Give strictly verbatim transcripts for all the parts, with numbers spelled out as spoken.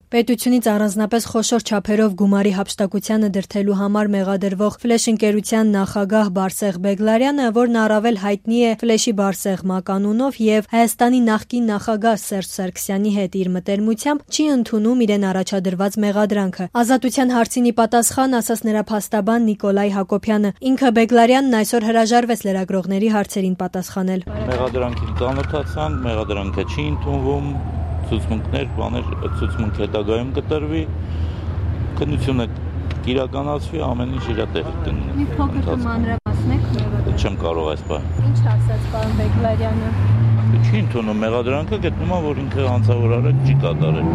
Պետությունից առանձնապես խոշոր չափերով գումարի հափշտակությանը դրդելու համար մեղադրվող Ֆլեշ ընկերության նախագահ Բարսեղ Բեգլարյանը, որն առավել հայտնի է Ֆլեշի Բարսեղ մականունով եւ Հայաստանի նախկին նախագահ Սերժ Սարգսյանի հետ իր մտերմությամբ, չի ընդունում իրեն առաջադրված մեղադրանքը։ Ազատության հարցին ի պատասխան ասաց նրա փաստաբան Նիկոլայ Հակոբյանը։ Ինքը Բեգլարյանն այսօր հրաժարվեց լրագրողների հարցերին պատասխանել։ Մեղադրանքին ծանոթացան, մեղադրանքը չի ընդունվում, ցուցմունքներ, բաներ, ցուցմունք հետագայում կտրվի, քննությունը կիրականացվի, ամեն ինչ իր տեղի կունենա։ Մի փոքր մանրամասնեք մեղադրանքը։ Չեմ կարող այս բան։ Ինչ ասաց պարոն Բեգլարյանը։ Չի ընդունում մեղադրանքը, գտնում է, որ ինքը հանցավոր արարք չի կատարել։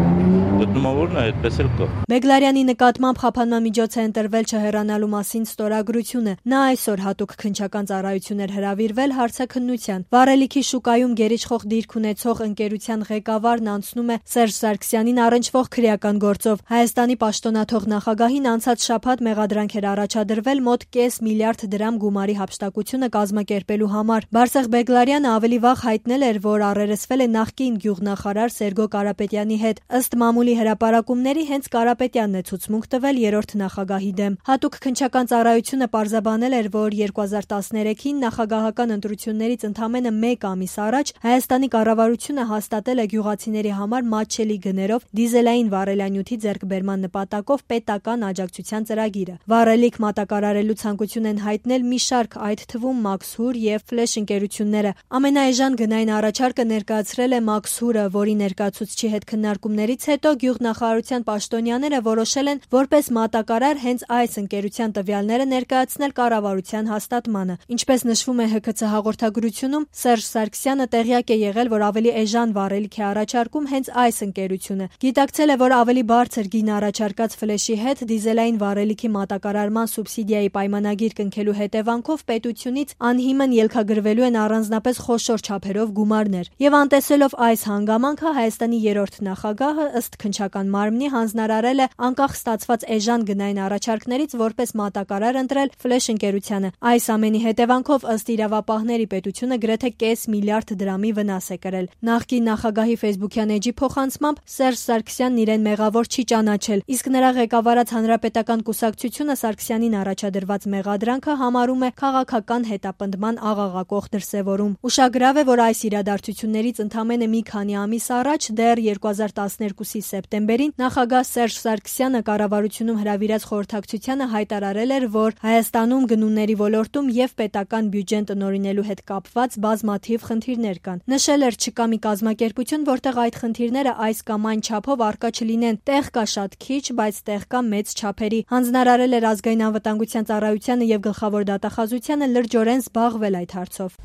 Գտնում է, որ նա այդպես էլ կա։ Բեգլարյանի նկատմամբ խափանմամիջոց է ընտրվել չհեռանալու մասին ստորագրությունը։ Նա այսօր հատուկ քննչական ծառայություն էր հրավիրվել հարցաքննության։ Վառելիքի շուկայում գերիշխող դիրք ունեցող ընկերության ղեկավարն անցնում է Սերժ Սարգսյանին առնչվող քրեական գործով։ Հայաստանի պաշտոնաթող նախագահին անցած շաբաթ մեղադրանք էր առաջադրվել մոտ կես միլիարդ դրամ գումարի հափշտակությունը կազմակերպելու համար։ Բարսեղ Բեգլարյանը ավելի վաղ հայտնել էր, որ առերեսվել է նախկին գյուղնախարար Սերգո Կարապետյանի հետ։ Ըստ մամուլի հրապարակումների հենց Կարապետյանն է ցուցմունք տվել երրորդ նախագահի դեմ։ Հատուկ քննչական ծառայությունը պարզաբանել էր, որ երկու հազար տասներեքին նախագահական ընտրություններից ընդամենը մեկ ամիս առաջ Հայաստանի կառավարությունը հաստատել է գյուղացիների համար մատչելի գներով դիզելային վառելանյութի ձեռքբերման նպատակով պետական աջակցության ծրագիրը։ Վառելիք մատակարարելու ցանկություն են հայտնել մի շարք, այդ թվում Մաքսհուր եւ Ֆլեշ ընկերությունները։ Ամենաէժան գնային առաջարկը ներկայացրել է Մաքսհուրը, որի ներկայացուցչի հետ քննարկումներից հետո գյուղնախարարության պաշտոնյաները որոշել են որպես մատակարար հենց այս ընկերության տվյալները ներկայացնել կառավարության հաստատմանը։ Ինչպես նշվում է Հ K C հաղորդագրությունում, Սերժ Սարգսյանը տեղյակ է եղել, որ ավելի էժան վառելիք է առաջարկում հենց այս ընկերությունը։ Գիտակցել է, որ ավելի բարձր գին առաջարկած Ֆլեշի հետ դիզելային վառելիքի մատակարարման սուբսիդիայի պայմանագիր կնքելու հետևանքով պետությունից անհիմն ելքագրվելու են առանձնապես խոշոր չափերով գումարներ։ Եվ անտեսելով այս հանգամանքը Հայաստանի երրորդ նախագահը ըստ քննչական մարմնի հանձնարարել է անկախ ստացված էժան գնային առաջարկներից որպես մատակարար ընտրել Ֆլեշ ընկերությանը։ Այս ամենի հետևանքով ըստ իրավապահների պետությունը գրեթե կես միլիարդ դրամի վնաս է կրել։ Նախկին նախագահի ֆեյսբուքյան էջի փոխանցմամբ Սերժ Սարգսյանն իրեն մեղավոր չի ճանաչել, իսկ նրա ղեկավարած Հանրապետական կուսակցությունը Սարգսյանին առաջադրված մեղադրանքը համարում է քաղաքական հետապնդման աղաղակող դրսևորում։ Ուշագրավ է, որ այս իրադարձություններից ընդամենը մի քանի ամիս առաջ, դեռ երկու հազար տասներկուսի սեպտեմբերին, նախագահ Սերժ Սարգսյանը կառավարությունում հրավիրած խորհրդակցությանը հայտարարել էր, որ Հայաստանում գնումների ոլորտում եւ պետական բյուջեն տնօրինելու հետ կապված բազմաթիվ խնդիրներ կան։ Նշել էր, չկա մի կազմակերպություն, որտեղ այդ խնդիրները այս կամ այն չափով առկա չլինեն։ Տեղ կա շատ քիչ, բայց տեղ կա մեծ չափերի։ Հանձնարարել էր ազգային անվտանգության ծառայությանը եւ գլխավոր դատախազությանը լրջորեն զբաղվել այդ հարցով։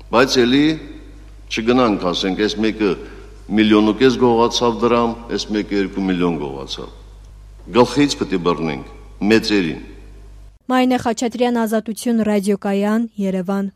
Բայց էլի չգնանք, ասենք, այս մեկը միլիոն ու կես գողացավ դրամ, այս մեկը երկու միլիոն գողացավ։ Գլխից պետք է բռնենք մեծերին։ Մարինե Խաչատրյան, Ազատություն ռադիոկայան, Երևան։